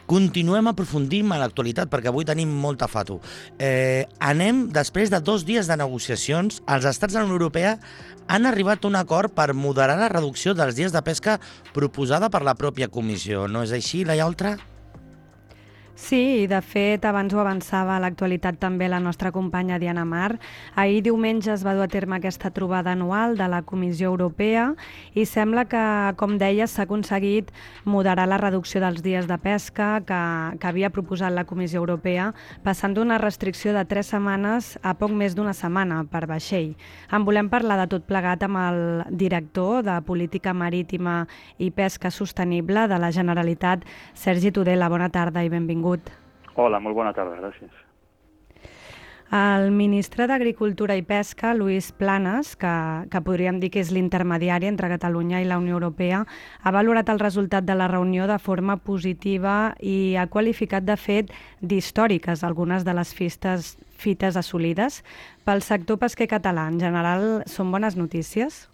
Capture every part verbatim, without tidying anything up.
Continuem aprofundint en l'actualitat perquè avui tenim molta fato. Eh, anem, després de dos dies de negociacions, els estats de la Unió Europea han arribat a un acord per moderar la reducció dels dies de pesca proposada per la pròpia Comissió. No és així, Laia Oltra? Sí, de fet, abans ho avançava a l'actualitat també la nostra companya Diana Mar. Ahir diumenge es va dur a terme aquesta trobada anual de la Comissió Europea i sembla que, com deia, s'ha aconseguit moderar la reducció dels dies de pesca que, que havia proposat la Comissió Europea, passant d'una restricció de tres setmanes a poc més d'una setmana per vaixell. En volem parlar de tot plegat amb el director de Política Marítima i Pesca Sostenible de la Generalitat, Sergi Tudela. Bona tarda i benvingut. Hola, molt bona tarda, gràcies. El ministre d'Agricultura i Pesca, Luis Planas, que, que podríem dir que és l'intermediari entre Catalunya i la Unió Europea, ha valorat el resultat de la reunió de forma positiva i ha qualificat de fet d'històriques algunes de les fistes, fites assolides. Pel sector pesquer català, en general, són bones notícies?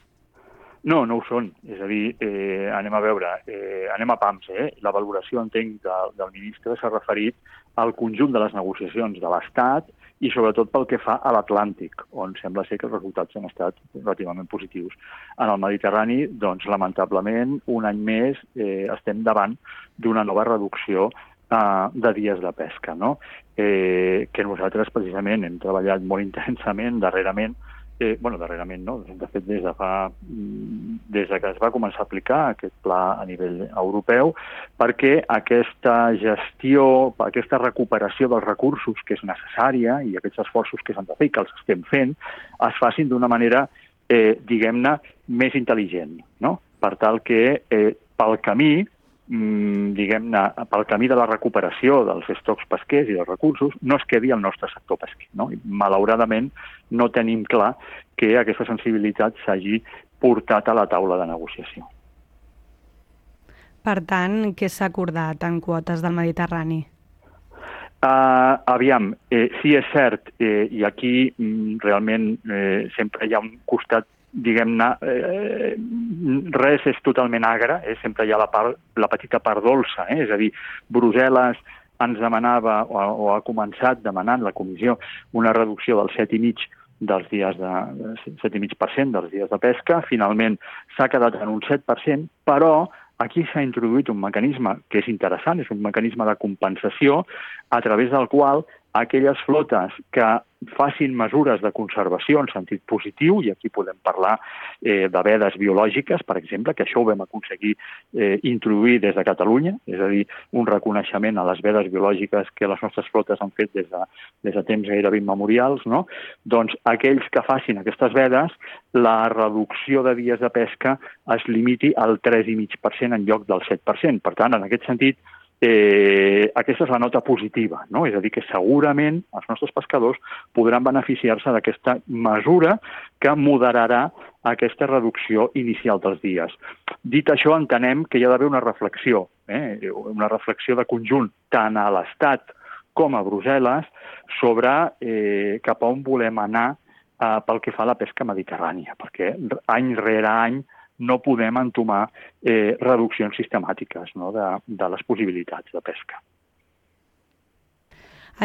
No, no ho són. És a dir, eh, anem a veure, eh, anem a pams. Eh? La valoració, entenc, de, del ministre s'ha referit al conjunt de les negociacions de l'Estat i sobretot pel que fa a l'Atlàntic, on sembla ser que els resultats han estat relativament positius. En el Mediterrani, doncs, lamentablement, un any més eh, estem davant d'una nova reducció eh, de dies de pesca, no? eh, que nosaltres precisament hem treballat molt intensament darrerament. Eh, bueno, darrerament no, de fet des de fa des de que es va començar a aplicar aquest pla a nivell europeu, perquè aquesta gestió, aquesta recuperació dels recursos que és necessària i aquests esforços que s'han de fer i que els estem fent, es facin d'una manera, eh, diguem-ne, més intel·ligent, no? Per tal que eh, pel camí diguem-ne, pel camí de la recuperació dels estocs pesquers i dels recursos, no es quedi el nostre sector pesquer, no? I, malauradament, no tenim clar que aquesta sensibilitat s'hagi portat a la taula de negociació. Per tant, què s'ha acordat en quotes del Mediterrani? Uh, aviam, eh, sí és cert, eh, i aquí mm, realment eh, sempre hi ha un costat diguem-ne, eh, res és totalment agre, eh? Sempre hi ha la, part, la petita part dolça, eh? És a dir, Brussel·les ens demanava, o, o ha començat demanant la Comissió, una reducció del set i mig dels dies de, set i mig per cent dels dies de pesca, finalment s'ha quedat en un set per cent, però aquí s'ha introduït un mecanisme que és interessant, és un mecanisme de compensació a través del qual aquelles flotes que facin mesures de conservació en sentit positiu, i aquí podem parlar eh, de vedes biològiques, per exemple, que això ho vam aconseguir eh, introduir des de Catalunya, és a dir, un reconeixement a les vedes biològiques que les nostres flotes han fet des de, des de temps gairebé immemorials, no? Doncs aquells que facin aquestes vedes, la reducció de dies de pesca es limiti al tres coma cinc per cent en lloc del set per cent. Per tant, en aquest sentit, Eh, aquesta és la nota positiva, no? És a dir, que segurament els nostres pescadors podran beneficiar-se d'aquesta mesura que moderarà aquesta reducció inicial dels dies. Dit això, entenem que hi ha d'haver una reflexió, eh? una reflexió de conjunt tant a l'Estat com a Brussel·les sobre eh, cap a on volem anar eh, pel que fa a la pesca mediterrània, perquè any rere any no podem entomar eh, reduccions sistemàtiques, no? de, de les possibilitats de pesca.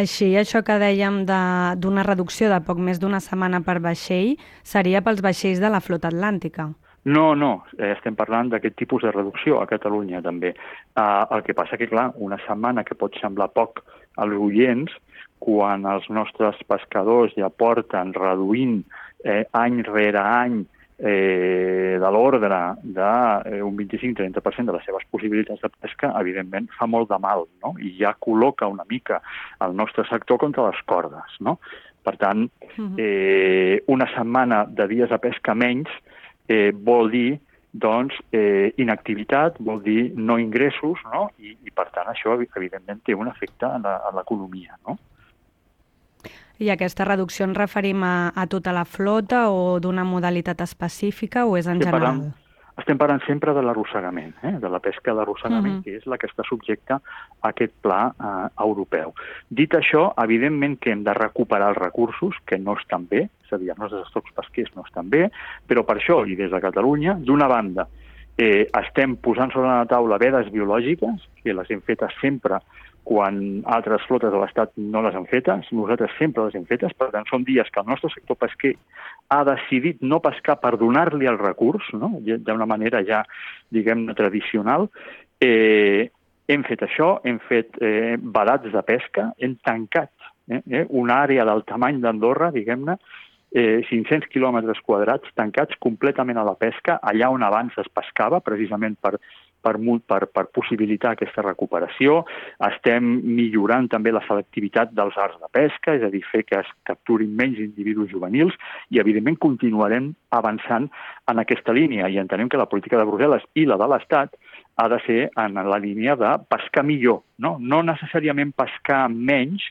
Així, això que dèiem d'una reducció de poc més d'una setmana per vaixell seria pels vaixells de la flota atlàntica? No, no, eh, estem parlant d'aquest tipus de reducció a Catalunya també. Eh, el que passa que, clar, una setmana que pot semblar poc als oients, quan els nostres pescadors ja porten reduint eh, any rere any Eh, de l'ordre d'un vint-i-cinc a trenta per cent de les seves possibilitats de pesca, evidentment fa molt de mal, no? I ja col·loca una mica el nostre sector contra les cordes, no? Per tant, eh, una setmana de dies de pesca menys eh, vol dir doncs, eh, inactivitat, vol dir no ingressos, no? I, i per tant això evidentment té un efecte a l'economia, no? I aquesta reducció ens referim a, a tota la flota o d'una modalitat específica o és en estem general? Parlant, estem parlant sempre de l'arrossegament, eh? de la pesca d'arrossegament, uh-huh. que és la que està subjecta a aquest pla eh, europeu. Dit això, evidentment que hem de recuperar els recursos, que no estan bé, és a dir, els nostres estocs pesquers no estan bé, però per això, i des de Catalunya, d'una banda, Eh, estem posant sobre la taula vedes biològiques, que les hem fetes sempre quan altres flotes de l'Estat no les han fetes, nosaltres sempre les hem fetes, per tant són dies que el nostre sector pesquer ha decidit no pescar per donar-li el recurs, no? D'una manera ja, diguem-ne, tradicional. Eh, hem fet això, hem fet eh, vedats de pesca, hem tancat eh, eh, una àrea del tamany d'Andorra, diguem-ne, eh, cinc-cents quilòmetres quadrats tancats completament a la pesca, allà on abans es pescava, precisament per Per, per, per possibilitar aquesta recuperació. Estem millorant també la selectivitat dels arts de pesca, és a dir, fer que es capturin menys individus juvenils i, evidentment, continuarem avançant en aquesta línia i entenem que la política de Brussel·les i la de l'Estat ha de ser en la línia de pescar millor, no, no necessàriament pescar menys,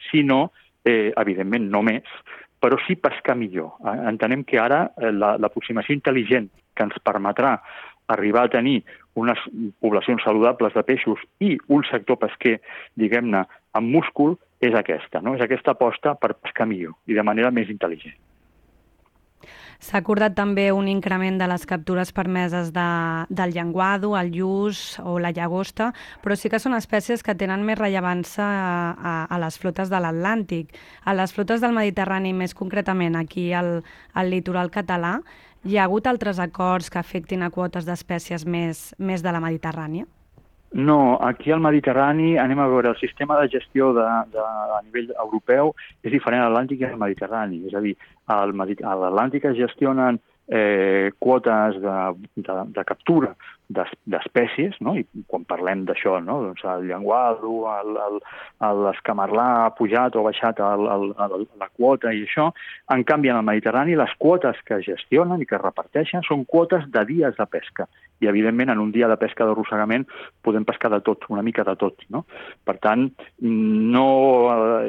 sinó, eh, evidentment, no més, però sí pescar millor. Entenem que ara l'aproximació intel·ligent que ens permetrà arribar a tenir unes poblacions saludables de peixos i un sector pesquer, diguem-ne, amb múscul, és aquesta, no? És aquesta aposta per pescar millor i de manera més intel·ligent. S'ha acordat també un increment de les captures permeses de, del llenguado, el lluç o la llagosta, però sí que són espècies que tenen més rellevància a, a, a les flotes de l'Atlàntic. A les flotes del Mediterrani, més concretament aquí al, al litoral català, hi ha hagut altres acords que afectin a quotes d'espècies més, més de la Mediterrània? No, aquí al Mediterrani, anem a veure, el sistema de gestió de, de, a nivell europeu és diferent a l'Atlàntic i al Mediterrani. És a dir, al, a l'Atlàntic es gestionen eh, quotes de, de, de captura d'espècies, no? I quan parlem d'això, no? Doncs el llenguado, l'escamarlà ha pujat o ha baixat el, el, el, la quota i això. En canvi, en el Mediterrani, les quotes que es gestionen i que es reparteixen són quotes de dies de pesca. I, evidentment, en un dia de pesca d'arrossegament podem pescar de tot, una mica de tot, no? Per tant, no,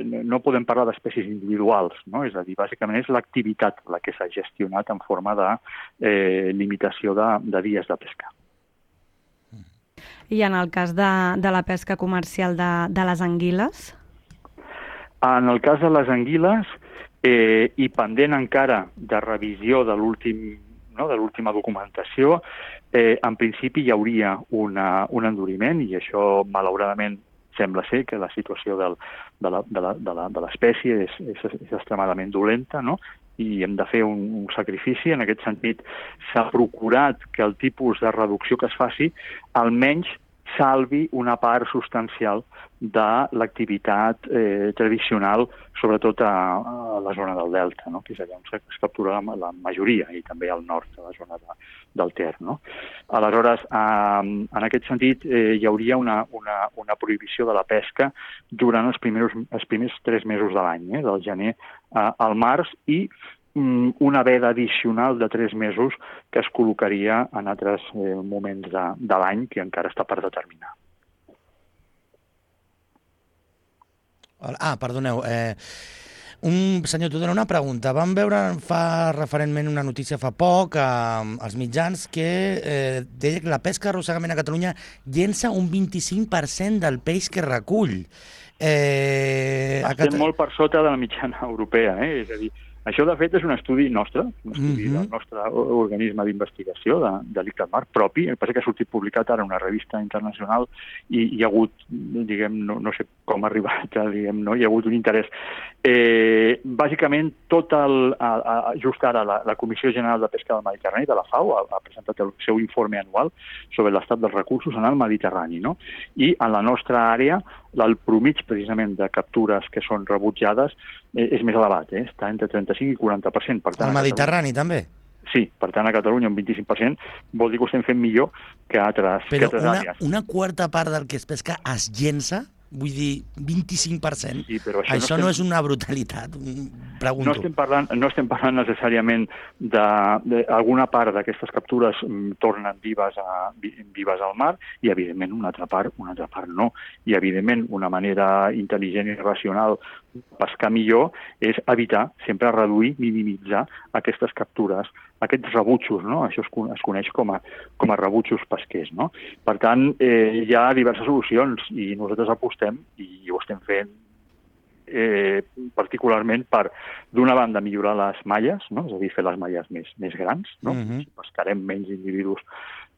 no podem parlar d'espècies individuals, no? És a dir, bàsicament és l'activitat la que s'ha gestionat en forma de eh, limitació de, de dies de pesca. I en el cas de, de la pesca comercial de, de les anguiles? En el cas de les anguiles, eh, i pendent encara de revisió de l'últim, no, de l'última documentació, eh, en principi hi hauria una, un enduriment, i això, malauradament, sembla ser que la situació del, de l'espècie és, és, és extremadament dolenta, no? I hem de fer un, un sacrifici. En aquest sentit, s'ha procurat que el tipus de reducció que es faci almenys salvi una part substancial de l'activitat eh, tradicional, sobretot a, a la zona del Delta, no? Que és allà on es captura la, la majoria, i també al nord, a la zona de, del Ter. No? Aleshores, eh, en aquest sentit, eh, hi hauria una, una, una prohibició de la pesca durant els primers, els primers tres mesos de l'any, eh, del gener eh, al març, i una veda addicional de tres mesos que es col·locaria en altres eh, moments de, de l'any que encara està per determinar. Ah, perdoneu. Eh, un senyor Tudor, una pregunta. Vam veure fa referentment una notícia fa poc eh, als mitjans que eh, deia que la pesca d'arrossegament a Catalunya llença un vint-i-cinc per cent del peix que recull. Eh, Estem Cat... molt per sota de la mitjana europea, eh? És a dir, això, de fet, és un estudi nostre, un estudi mm-hmm. del nostre organisme d'investigació, de, de l'ICTAMAR propi. El que passa que ha sortit publicat ara en una revista internacional i hi ha hagut, diguem, no, no sé com ha arribat, diguem, no? Hi ha hagut un interès. Eh, bàsicament, tot el, a, a, just ara la, la Comissió General de Pesca del Mediterrani, de la FAO, ha, ha presentat el seu informe anual sobre l'estat dels recursos en el Mediterrani, no? I en la nostra àrea, el promig, precisament, de captures que són rebutjades eh, és més elevat, eh? Està entre trenta-cinc i quaranta per cent. Per tant, el Mediterrani, també? Sí, per tant, a Catalunya un vint-i-cinc per cent vol dir que ho estem fent millor que altres, Però que altres una, àrees. Però una quarta part del que es pesca es llença? Vull dir, vint-i-cinc per cent? Sí, però això, això no, estem... no és una brutalitat, pregunto. No estem parlant, no estem parlant necessàriament d'alguna part d'aquestes captures mm, tornen vives, a, vives al mar i, evidentment, una altra part, una altra part no. I, evidentment, una manera intel·ligent i racional de pescar millor és evitar, sempre reduir, minimitzar aquestes captures, aquests rebutjos, no? Això es, es coneix com a, com a rebutjos pesquers, no? Per tant, eh, hi ha diverses solucions i nosaltres apostem, i ho estem fent eh, particularment per, d'una banda, millorar les malles, no? És a dir, fer les malles més, més grans, no? Mm-hmm. Si pescarem menys individus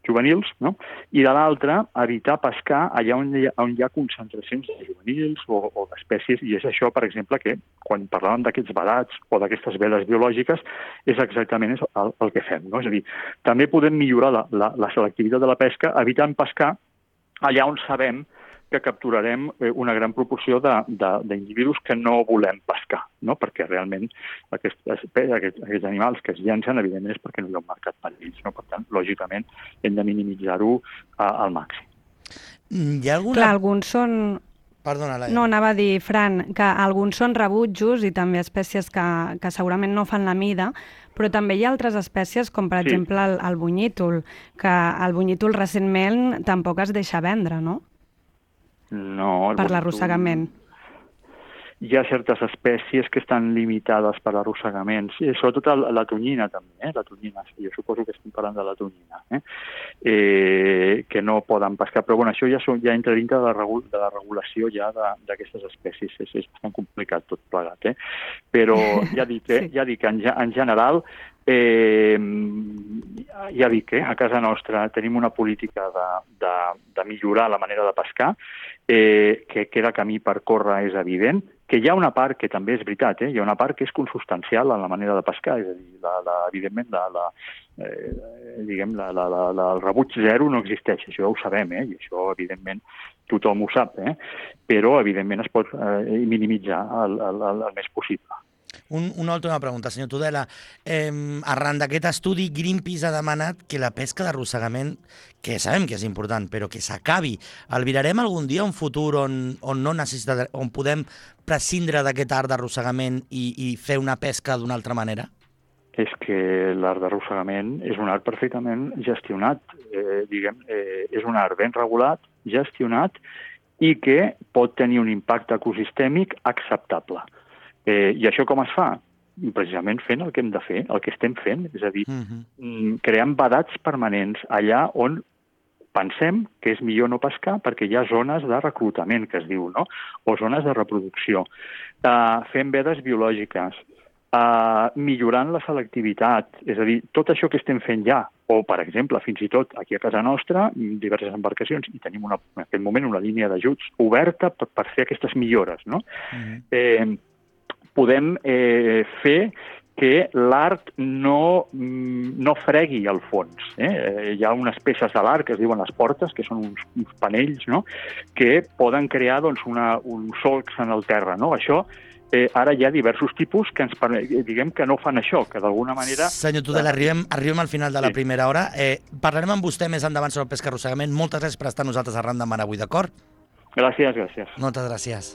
juvenils, no? I de l'altra, evitar pescar allà on hi ha, on hi ha concentracions de juvenils o, o d'espècies, i és això, per exemple, que quan parlàvem d'aquests vedats o d'aquestes vedes biològiques, és exactament el, el que fem, no? És a dir, també podem millorar la, la, la selectivitat de la pesca evitant pescar allà on sabem que capturarem una gran proporció d'individus que no volem pescar, no? Perquè realment aquests, aquests, aquests animals que es llencen, evidentment, és perquè no hi ha un mercat per ells, no? Per tant, lògicament, hem de minimitzar-ho al màxim. Hi ha alguna... Clar, alguns són... Perdona, Laia. No, anava a dir, Fran, que alguns són rebutjos i també espècies que, que segurament no fan la mida, però també hi ha altres espècies, com per sí. exemple el, el bunyítol, que el bunyítol recentment tampoc es deixa vendre, no? No, per l'arrossegament. Hi ha certes espècies que estan limitades per l'arrossegament, sí, sobretot la tonyina també, eh? la tonyina, sí, jo suposo que estem parlant de la tonyina, eh? Eh, que no poden pescar, però bueno, això ja, són, ja entra dintre de la, regul de la regulació ja d'aquestes espècies, és, és bastant complicat tot plegat, eh? Però ja dic, eh? sí. ja dic en, en general, eh, ja dic, eh? a casa nostra tenim una política de, de, de millorar la manera de pescar, eh, que queda camí per córrer, és evident, que hi ha una part que també és veritat, eh? hi ha una part que és consubstancial en la manera de pescar, és a dir, la, la, evidentment, la, la, eh, diguem, la, la, la, la, el rebuig zero no existeix, això ja ho sabem, eh? I això, evidentment, tothom ho sap, eh? Però, evidentment, es pot eh, minimitzar el, el, el, el més possible. Un, una última pregunta, senyor Tudela. Eh, arran d'aquest estudi, Greenpeace ha demanat que la pesca d'arrossegament, que sabem que és important, però que s'acabi. Albirarem algun dia un futur on, on, no necessita, on podem prescindre d'aquest art d'arrossegament i, i fer una pesca d'una altra manera? És que l'art d'arrossegament és un art perfectament gestionat, eh, diguem, eh, és un art ben regulat, gestionat, i que pot tenir un impacte ecosistèmic acceptable. Eh, I això com es fa? Precisament fent el que hem de fer, el que estem fent, és a dir, uh-huh. creant vedats permanents allà on pensem que és millor no pescar perquè hi ha zones de reclutament, que es diu, no? O zones de reproducció. Uh, fent vedes biològiques, uh, millorant la selectivitat, és a dir, tot això que estem fent ja, o, per exemple, fins i tot aquí a casa nostra, diverses embarcacions, i tenim una, en aquest moment una línia d'ajuts oberta per, per fer aquestes millores, no? Uh-huh. Eh, podem eh, fer que l'art no, no fregui el fons. Eh? Hi ha unes peces de l'art que es diuen les portes, que són uns, uns panells, no? Que poden crear doncs, una, un solcs en el terra. No? Això, eh, ara hi ha diversos tipus que ens diguem que no fan això, que d'alguna manera... Senyor Tudela, arribem, arribem al final de la sí. primera hora. Eh, parlarem amb vostè més endavant sobre el pesca arrossegament. Moltes gràcies per estar nosaltres arran de mar avui, d'acord? Gràcies, gràcies. Moltes gràcies.